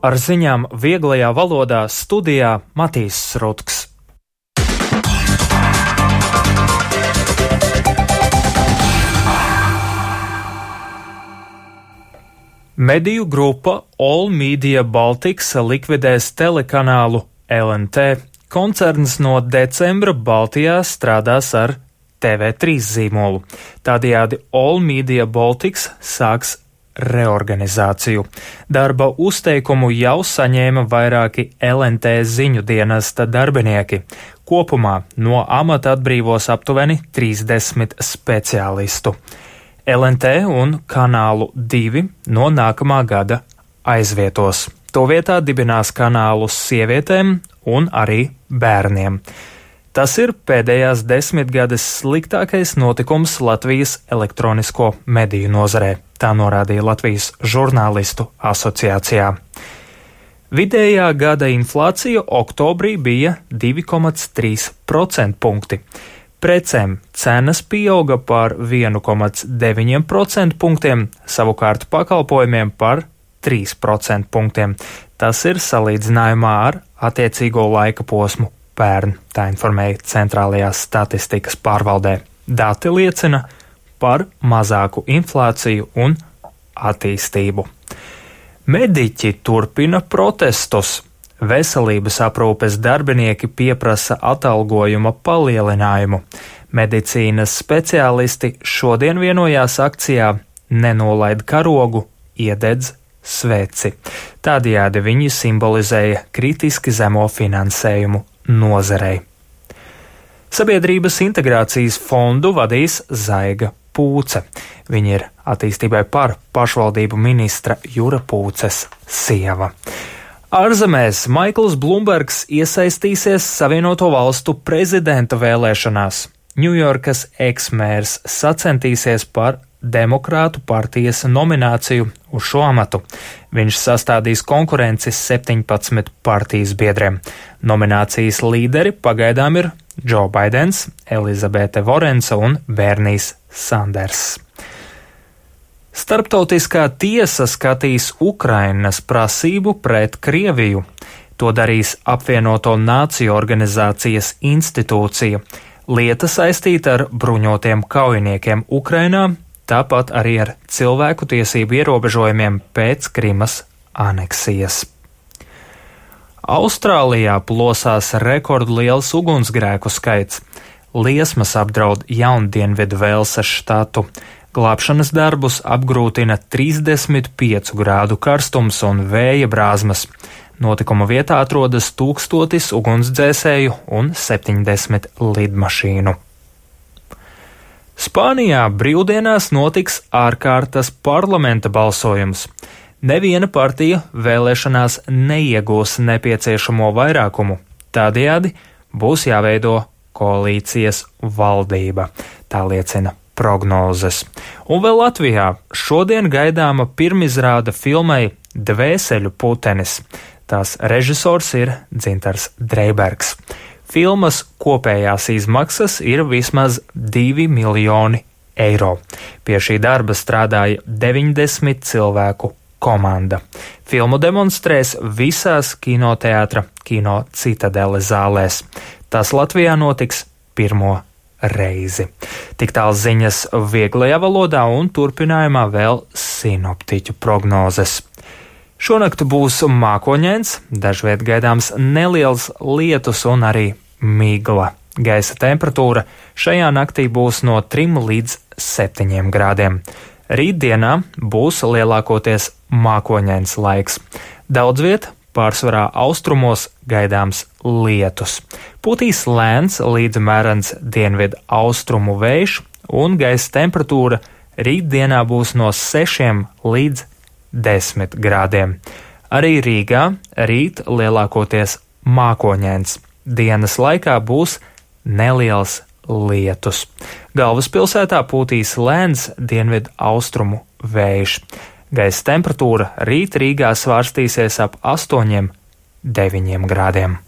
Ar ziņām vieglajā valodā studijā Matīs Srutks. Mediju grupa All Media Baltics likvidēs telekanālu LNT. Koncerns no decembra Baltijā strādās ar TV3 zīmolu. Tādējādi All Media Baltics sāks reorganizāciju. Darba uzteikumu jau saņēma vairāki LNT ziņu dienesta darbinieki. Kopumā no amata atbrīvos aptuveni 30 speciālistu. LNT un kanālu 2 no nākamā gada aizvietos. To vietā dibinās kanālus sievietēm un arī bērniem. Tas ir pēdējās 10 gades sliktākais notikums Latvijas elektronisko mediju nozarē, tā norādīja Latvijas žurnālistu asociācijā. Vidējā gada inflācija oktobrī bija 2,3% punkti. Precēm cenas pieauga par 1,9% punktiem, savukārt pakalpojumiem par 3% punktiem. Tas ir salīdzinājumā ar attiecīgo laika posmu pērn, tā informēja Centrālajās statistikas pārvaldē. Dati liecina par mazāku inflāciju un attīstību. Mediķi turpina protestus. Veselības aprūpes darbinieki pieprasa atalgojuma palielinājumu. Medicīnas speciālisti šodien vienojās akcijā Nenolaid karogu, iededz sveci. Tādējādi viņi simbolizēja kritiski zemo finansējumu nozarei. Sabiedrības integrācijas fondu vadīs Zaiga Pūce. Viņa ir attīstībai par pašvaldību ministra Jura Pūces sieva. Ārzemēs Maikls Blumbergs iesaistīsies Savienoto Valstu prezidenta vēlēšanās. Ņujorkas eksmērs sacentīsies par Demokrātu partijas nomināciju uz šo amatu. Viņš sastādīs konkurenci 17 partijas biedriem. Nominācijas līderi pagaidām ir Džo Baidens, Elizabete Vorensa un Bernijs Sanders. Starptautiskā tiesa skatīs Ukrainas prasību pret Krieviju. To darīs Apvienoto Nāciju organizācijas institūcija. Lieta saistīta ar bruņotiem kaujiniekiem Ukrainā, tāpat arī ar cilvēku tiesību ierobežojumiem pēc Krimas aneksijas. Austrālijā plosās rekordliels ugunsgrēku skaits. Liesmas apdraud Jaundienvidu Velsas štatu. Glābšanas darbus apgrūtina 35 grādu karstums un vēja brāzmas. Notikuma vietā atrodas 1000 ugunsdzēsēju un 70 lidmašīnu. Spānijā brīvdienās notiks ārkārtas parlamenta balsojums. Neviena partija vēlēšanās neiegūs nepieciešamo vairākumu. Tādējādi būs jāveido koalīcijas valdība, tā liecina prognozes. Un vēl Latvijā šodien gaidāma pirmizrāde filmai Dvēseļu putenis. Tās režisors ir Dzintars Dreibergs. Filmas kopējās izmaksas ir vismaz 2 miljoni eiro. Pie šī darba strādāja 90 cilvēku komanda. Filmu demonstrēs visās kinoteātra Kino Citadele zālēs. Tas Latvijā notiks pirmo reizi. Tik tāls ziņas vieglajā valodā un turpinājumā vēl sinoptiķu prognozes. Šonakt būs mākoņains, dažviet gaidāms neliels lietus un arī migla. Gaisa temperatūra šajā naktī būs no 3 līdz 7 grādiem. Rītdienā būs lielākoties mākoņains laiks. Daudz viet, pārsvarā austrumos, gaidāms lietus. Pūtīs lēns līdz mērens dienvidu austrumu vējš un gaisa temperatūra rītdienā būs no 6 līdz 10 grādiem. Arī Rīgā rīt lielākoties mākoņains. Dienas laikā būs neliels lietus. Galvaspilsētā pūtīs lēns dienvidu austrumu vējš. Gaisa temperatūra rīt Rīgā svārstīsies ap 8–9 grādiem.